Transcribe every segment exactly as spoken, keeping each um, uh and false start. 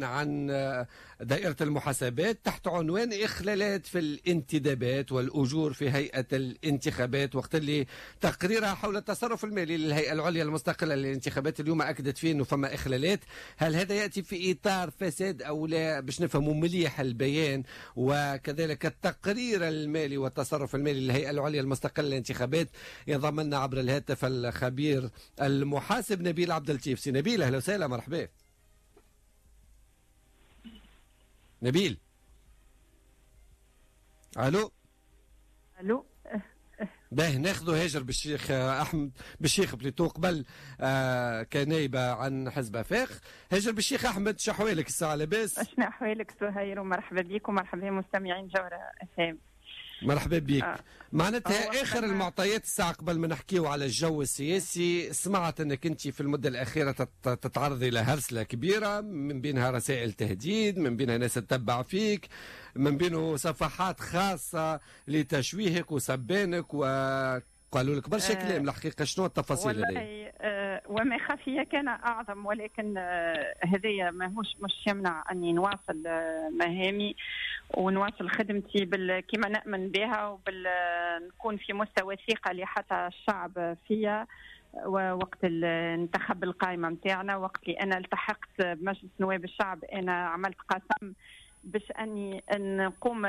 عن دائرة المحاسبات تحت عنوان إخلالات في الانتدابات والأجور في هيئة الانتخابات، وقت اللي تقريرها حول التصرف المالي للهيئة العليا المستقلة للانتخابات اليوم أكدت فيه أنه فما إخلالات. هل هذا يأتي في إطار فساد أو لا؟ باش نفهموا مليح البيان وكذلك التقرير المالي والتصرف المالي للهيئة العليا المستقلة للانتخابات، ينضم لنا عبر الهاتف الخبير المحاسب نبيل عبد اللطيف. سي نبيل، أهلا وسهلا، مرحبا. نبيل، الو الو. باه ناخذوا هاجر بالشيخ احمد بالشيخ plutôt قبل آه كنايبه عن حزب افاق. هاجر بالشيخ احمد، شو احوالك الساعة؟ لاباس؟ شنو احوالك سهير؟ ومرحبا بك ومرحبا بمستمعين جوهرة اف ام. مرحبا بك. آه. معناتها اخر المعطيات الساعة قبل ما نحكيو على الجو السياسي، سمعت انك انت في المدة الاخيرة تتعرضي لهرسله كبيرة، من بينها رسائل تهديد، من بينها ناس تتبع فيك، من بينه صفحات خاصة لتشويهك وسبانك وقالوا لك برشا آه كلام. الحقيقة شنو التفاصيل هذه؟ آه وما خفي كان اعظم، ولكن آه هذايا ماهوش مش يمنع اني نواصل آه مهامي ونواصل خدمتي بال... كما نأمن بها وبال نكون في مستوى ثقة اللي حتى الشعب فيا. ووقت انتخب القائمة نتاعنا، وقت اللي أنا التحقت بمجلس نواب الشعب، أنا عملت قسم باش أني نقوم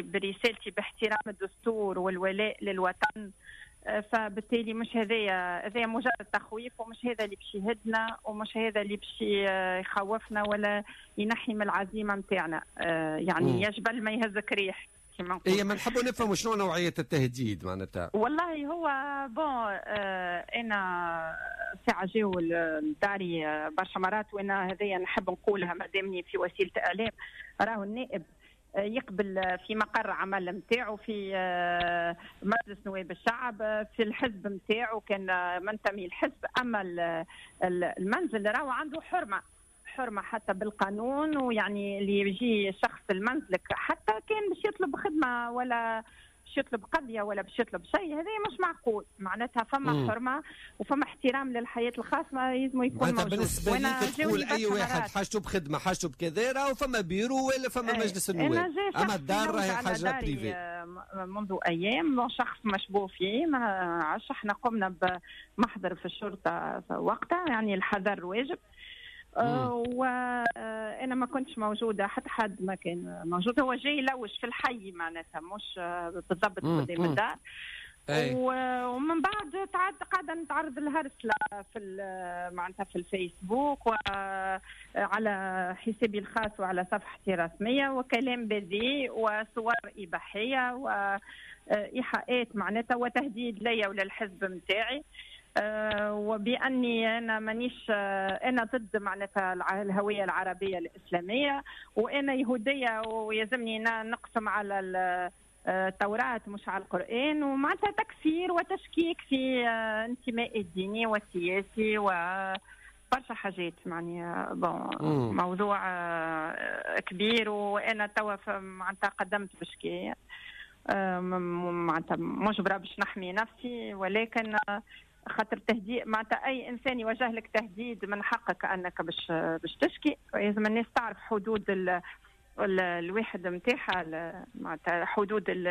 برسالتي باحترام الدستور والولاء للوطن. فبالتالي مش هذايا هذايا مجرد تخويف، ومش هذا اللي باش يهدنا، ومش هذا اللي باش يخوفنا ولا ينحي من العزيمة نتاعنا. يعني يا جبل ما يهزك ريح كما نقول. اي ما نحبوا نفهموا شنو نوعية التهديد معناتها. والله هو bon آه انا ساعة جاو لداري برشا مرات، وانا هذايا نحب نقولها مادامني في وسيلة اعلام، راهو النائب يقبل في مقر عمل نتاعو في مجلس نواب الشعب، في الحزب نتاعو كان منتمي الحزب، اما المنزل راهو عنده حرمه، حرمه حتى بالقانون. ويعني اللي يجي شخص لمنزلك حتى كان باش يطلب خدمة ولا باش يطلب قضية ولا باش يطلب شيء، هذا مش معقول. معناتها فما مم. حرمه وفما احترام للحياة الخاصة لازم يكون موجود. بالنسبة ليك تقول اي واحد حاجته بخدمة حاجته بكذا راهو فما بيرو ولا فما مجلس النواب، اما الدار راهي حاجة privée. منذ ايام شخص مشبوه فيه، ما عرفش، احنا قمنا بمحضر في الشرطة وقتها، يعني الحذر واجب. وانا ما كنتش موجودة، حتى حد ما كان موجود، هو جاي يلوج في الحي معناتها مش بالضبط قدام الدار. ومن بعد تعد قاعدة نتعرض للهرسله في معناتها في الفيسبوك وعلى حسابي الخاص وعلى صفحتي الرسمية، وكلام بذيء وصور اباحية وايحاءات معناتها وتهديد ليا وللحزب نتاعي. أه وبأني أنا مانيش، أنا ضد معناتها الهوية العربية الإسلامية، وأنا يهودية ويلزمني نقسم على التوراة مش على القرآن، ومعناتها تكفير وتشكيك في انتمائي الديني والسياسي وبرشا حاجات. يعني bon موضوع كبير، وأنا توا معناتها قدمت بشكاية معناتها مجبرة باش نحمي نفسي، ولكن خاطر تهديد معناتها اي انسان يوجه لك تهديد من حقك انك باش باش تشكي. لازم الناس تعرف حدود ال ال الواحد نتاعها، معناتها حدود ال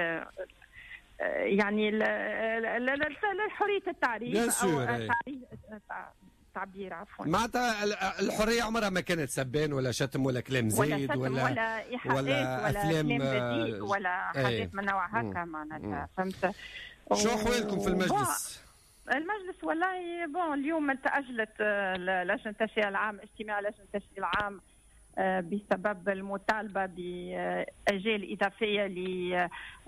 يعني حرية التعريف او التعبير عفوا. معناتها الحرية عمرها ما كانت سبان ولا شتم ولا كلام زايد ولا ولا ولا ايحاءات ولا افلام ولا حاجات من نوع هكا معناتها، فهمت؟ شو احوالكم في المجلس؟ المجلس والله bon اليوم تأجلت لجنة التشريع العام، اجتماع لجنة التشريع العام بسبب المطالبة بأجال إضافية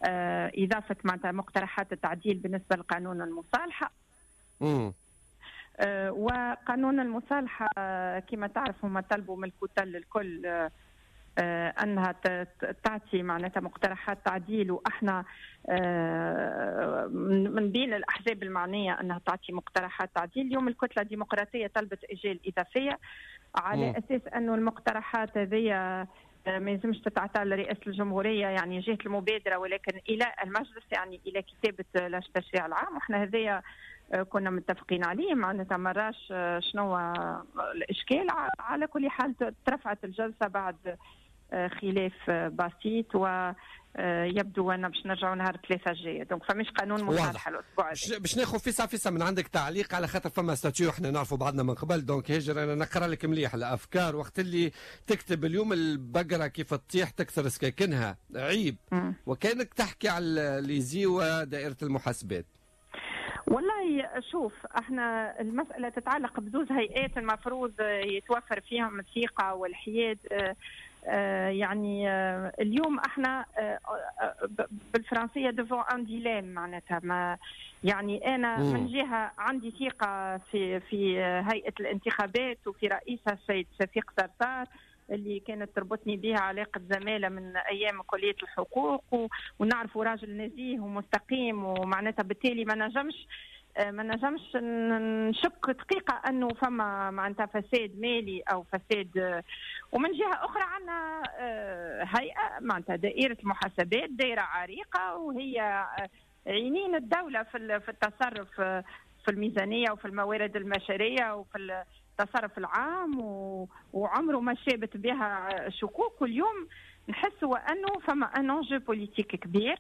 لإضافة معناتها مقترحات التعديل بالنسبة لقانون المصالحة. امم وقانون المصالحة كما تعرف هما طلبوا من الكتل الكل انها تعطي معناتها مقترحات تعديل، واحنا من بين الاحزاب المعنية انها تعطي مقترحات تعديل. اليوم الكتلة الديمقراطية طلبت اجال اضافية على اساس انه المقترحات هذه ما يلزمش تتعطى لرئاسة الجمهورية يعني جهة المبادرة، ولكن الى المجلس، يعني الى كتابه لجنة التشريع العام. واحنا هذايا كنا متفقين عليه. معناتها ما راش شنو الاشكال. على كل حال ترفعت الجلسة بعد خلاف بسيط، ويبدو ان باش نرجعوا نهار ثلاثة الجاية، donc فماش قانون مصالحه الاسبوع هذا. باش ناخذ فيسع فيسع من عندك تعليق على خاطر فما statut، احنا نعرفوا بعضنا من قبل، donc هاجر انا نقرا لك مليح الافكار وقت اللي تكتب اليوم البقرة كيف تطيح تكسر سكاكنها، عيب. م. وكانك تحكي على l'ISIE ودائره المحاسبات. والله شوف، احنا المسألة تتعلق بزوز هيئات المفروض يتوفر فيهم الثقة والحياد. يعني اليوم احنا بالفرنسية devant un dilemme، معناتها ما يعني انا مم. من جهة عندي ثقة في في هيئة الانتخابات وفي رئيسها السيد شفيق صرصار اللي كانت تربطني بها علاقة زمالة من أيام كلية الحقوق، ونعرفه راجل نزيه ومستقيم، ومعناتها بالتالي ما نجمش ما نجمش نشك دقيقة أنه فما معناتها فساد مالي أو فساد. ومن جهة أخرى عندنا هيئة معناتها دائرة المحاسبات، دائرة عريقة وهي عينين الدولة في التصرف في الميزانية وفي الموارد البشرية وفي التصرف العام، وعمره ما شابت بها شكوك. واليوم نحسوا انه فما un enjeu politique كبير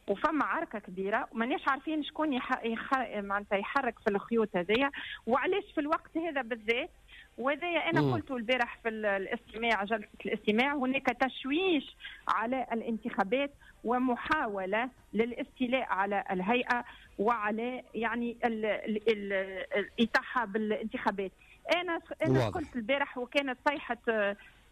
وفما عركة كبيرة، وماناش عارفين شكون يح... يخ... معناتها يحرك في الخيوط هذيا، وعلاش في الوقت هذا بالذات. وهذايا انا قلته البارح في الاستماع، جلسه الاستماع، هناك تشويش على الانتخابات ومحاولة للاستيلاء على الهيئة وعلى يعني الاطاحه بالانتخابات. انا انا قلت البارح وكانت صيحة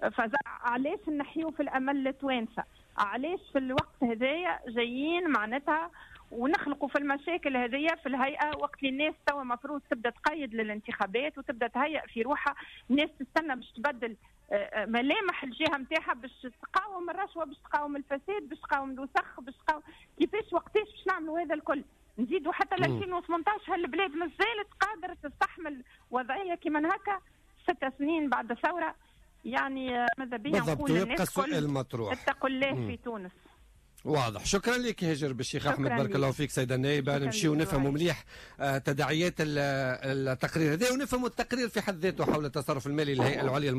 فزع، علاش نحيو في الامل للتوانسه؟ علاش في الوقت هذايا جايين معناتها ونخلقوا في المشاكل هذيا في الهيئة، وقت اللي الناس توا المفروض تبدا تقيد للانتخابات وتبدا تهيئ في روحها، الناس تستنى باش تبدل ملامح الجهة نتاعها، باش تقاوم الرشوة، باش تقاوم الفساد، باش تقاوم الوسخ، باش تقاوم كيفاش وقتاش باش نعملوا هذا الكل؟ نزيدوا حتى ل ألفين وثمنطاش هالبلاد مازالت قادرة تستحمل وضعية كيما هكا ست سنين بعد الثورة؟ يعني ماذا بيا نقول للناس السؤال المطروح، اتقوا الله في تونس. واضح. شكرا لك هاجر بالشيخ احمد، بارك الله فيك سيده النائبه. نمشيو نفهموا مليح تداعيات التقرير هذا، ونفهموا التقرير في حد ذاته حول التصرف المالي للهيئة العليا.